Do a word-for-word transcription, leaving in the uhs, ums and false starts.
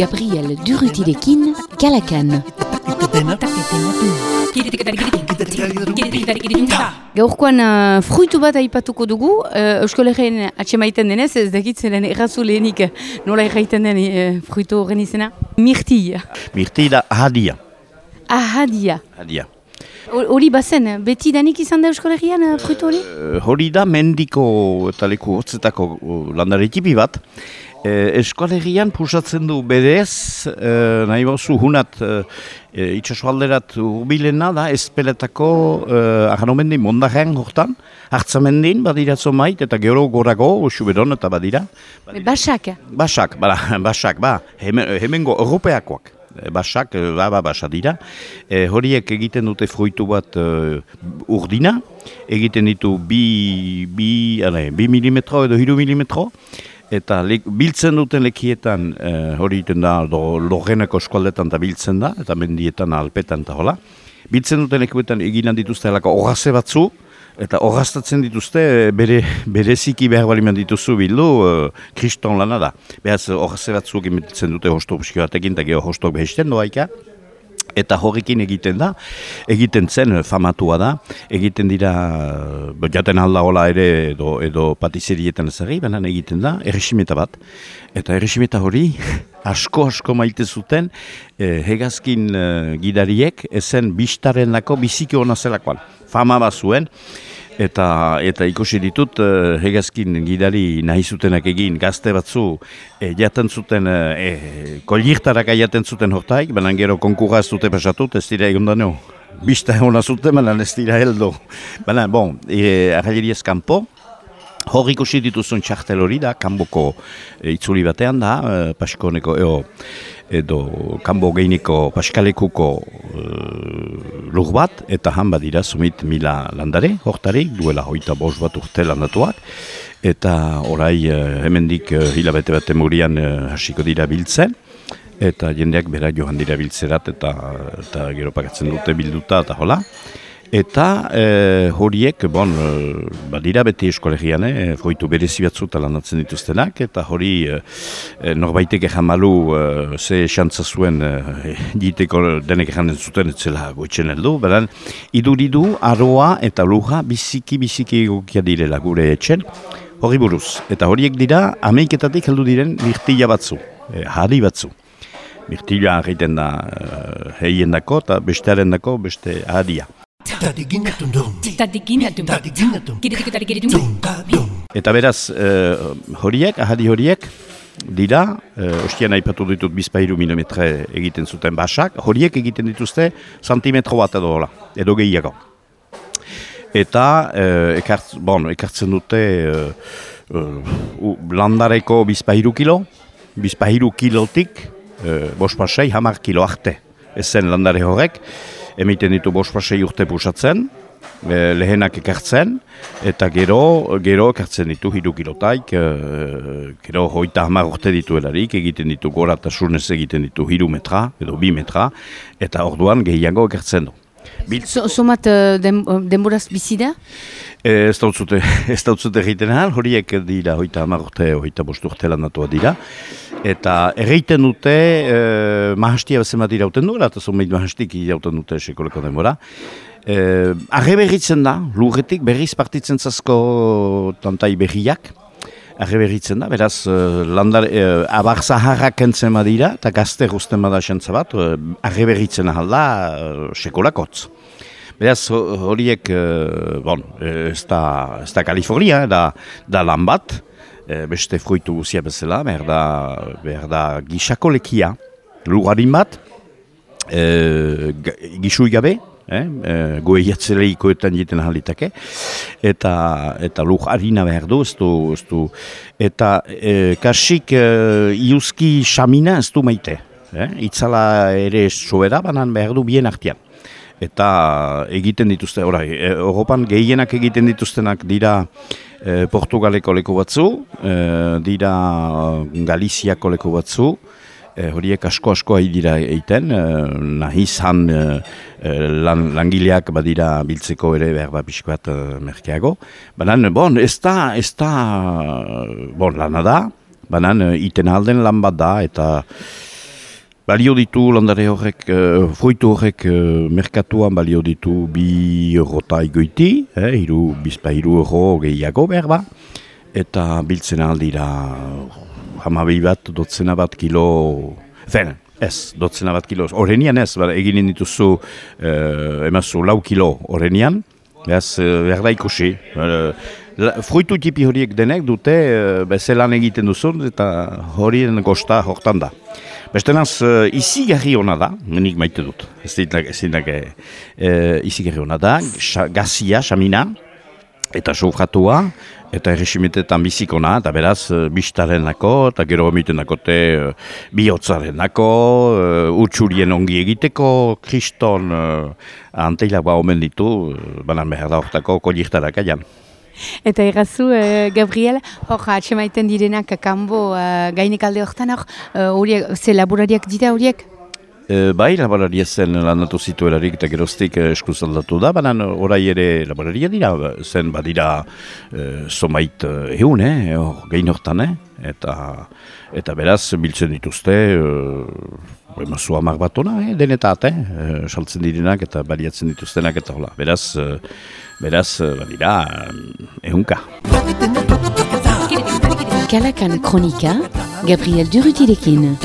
Gabriel Durutirekin, Kalakan. Gaurkoan uh, fruitu bat aipatuko dugu, uh, Euskal Herrien atxemaiten denez, ez dakit zelen errazu lehenik nola erraiten den uh, fruitu horren izena? Mirtilla. Mirtilla ahadia. Ahadia. Ahadia. Hori bazen, beti danik izan da Euskal Herrian uh, fruitu hori? Hori da mendiko eta leku hotzetako landare tipi bat. Eh, Euskal Herrian pusatzen du berez, eh, nahi bauzu hunat eh, itxasualderat urbilena da, ezpeletako eh, ahanomendin mondaren hortan, hartzamendin badiratzo mait, eta gero gorago, usuberon eta badira. badira. Basak? Basak, bada, basak, ba, hemen, hemengo europeakoak. Basak, ba, ba, basa dira. E, horiek egiten dute fruitu bat uh, urdina, egiten ditu bi, bi, ale, bi milimetro edo hiru milimetro, eta le, biltzen duten lekietan uh, hori egiten da Lorreneko eskualdetan eta biltzen da, eta mendietan alpetan eta hola. Biltzen duten lekietan eginan dituzte helako orraze batzu, eta orraztatzen dituzte bere bereziki behar baliman dituzu bildu uh, kriston lana da. Behaz orraze batzuk emetitzen dute hostok buskio batekin, eta geho hostok behesten doaika. Eta horrekin egiten da, egiten zen famatua da, egiten dira, jaten alda hola ere edo, edo patizerietan ezagri, baina egiten da, erresimeta bat. Eta erresimeta hori, asko-asko maite zuten, eh, hegazkin eh, gidariek, ezen bistaren lako biziki hona zelakoan. Fama bat zuen, eta, eta ikusi ditut, eh, hegazkin gidari nahi zutenak egin gazte batzu, eh, jaten zuten, eh, kolirtaraka jaten zuten hortaik, baina gero konkurra ez dute pasatut, ez dira egon da neo. Bista hona zuten, baina ez dira heldo. Baina, bon, eh, arraileriez kanpo, hor ikusi dituzun txartel hori da, kanboko e, itzuli batean da, e, paskoneko, eo, edo kanbo geiniko paskalekuko e, lur bat, eta han badira sumit mila landare, hortarik, duela hoita bos bat urte landatuak, eta orai e, hemendik e, hilabete bat emurian e, hasiko dira biltzen, eta jendeak bera johan dira biltzerat, eta, eta gero pakatzen dute bilduta, eta hola. Eta e, horiek, bon, e, badira beti eskolegian, e, fruitu berezi batzu landatzen dituztenak, eta hori e, norbaitek ejan malu e, ze xantza zuen e, diteko denek ejan zuten etzela goitzen heldu, beran, iduridu, aroa eta luja biziki-biziki egokia direla gure etxen, hori buruz. Eta horiek dira, ameiketatik heldu diren mirtilla batzu, e, hari batzu. Mirtilla egiten da e, heien dako, eta bestearen dako beste haria. Eta beraz, eh, horiek, ahadi horiek, dira, eh, ostian aipatu ditut bizpahiru milimetre egiten zuten basak, horiek egiten dituzte santimetro bat edo hola, edo gehiago. Eta eh, ekart, bon, ekartzen dute eh, uh, landareko bizpahiru kilo, bizpahiru kilotik eh, bospasei hamar kilo arte, ezen landare horrek, emiten ditu bospasei urte pusatzen, e, lehenak ekartzen, eta gero, gero ekartzen ditu hiru kilotaik, e, gero hoita hamar urte dituelarik, egiten ditu gora eta surnez egiten ditu hiru metra, edo bi metra, eta orduan gehiago ekartzen du. Somat den, denboraz bizi da? Ez dautzute, ez dautzute egiten ahal, horiek dira hoita hamar urte, hoita bost urte landatua dira. Eta erreiten dute, eh, mahastia bezen bat irauten duela, eta zomeit mahastik irauten dute sekoleko denbora. Eh, arre berritzen da, lurretik berriz partitzen zazko tantai berriak. Arre berritzen da, beraz, eh, landar, eh, abar zaharrak entzen badira, eta gazte guzten bada xantza bat, eh, arre berritzen ahal da, eh, sekolakotz. Beraz, horiek, eh, bon, ez da, ez da Kalifornia, da, da lan bat, beste fruitu guzia bezala, behar da, behar da gisako lekia, lugarin bat, e, gisui gabe, eh, e, goe jatzeleikoetan jiten ahalitake, eta, eta lur harina behar du, ez du, ez du, eta e, kasik e, iuzki xamina ez du maite, eh, itzala ere sobera, banan behar du bien artean. Eta egiten dituzte, orai, Europan gehienak egiten dituztenak dira e, Portugaleko leku batzu, e, dira Galiziako leku batzu, e, horiek asko-asko ari dira egiten, e, nahi izan e, lan, langileak badira biltzeko ere behar bat pixko bat e, merkeago. Banan, bon, ez da, ez da, bon, lana da, banan iten alden lan bat da, eta balio ditu landare horrek, uh, fruitu horrek uh, merkatuan balio ditu bi eurota igoiti, eh, iru, bizpa iru euro gehiago behar ba, eta biltzen aldira hamabi bat, dotzena bat kilo, fen, ez, dotzena bat kilo, horrenian ez, ba, eginen dituzu, uh, emazu lau kilo horrenian, ez, uh, behar da ikusi, uh, fruitu tipi horiek denek dute uh, bezelan egiten duzun, eta horien gosta hortan da. Bestenaz, uh, izigarri hona da, nik maite dut, ez dinak uh, izigarri hona da, gazia, xamina, eta sofratua, eta erresimetetan bizikona, eta beraz, uh, bistaren nako, eta gero omiten nakote uh, bihotzaren nako, uh, utxurien ongi egiteko, kriston uh, anteila ba omen ditu, uh, banan behar da hortako kolirtarak aian. Eta errazu, uh, Gabriel, hor, atxemaiten direnak kanbo uh, gainek alde horretan hor, horiek, uh, ze laborariak dira horiek? E, bai, laboraria zen landatu zituelarik eta geroztik eskuz aldatu da, baina orai ere laboraria dira, zen badira e, somait egun, eh, or, gehin hortan, eh, eta, eta beraz biltzen dituzte, e, emazu hamar bat ona, eh, denetat, eh, saltzen direnak eta baliatzen dituztenak eta hola, beraz, beraz badira ehunka. Kalakan Kronika, Gabriel Durrutirekin.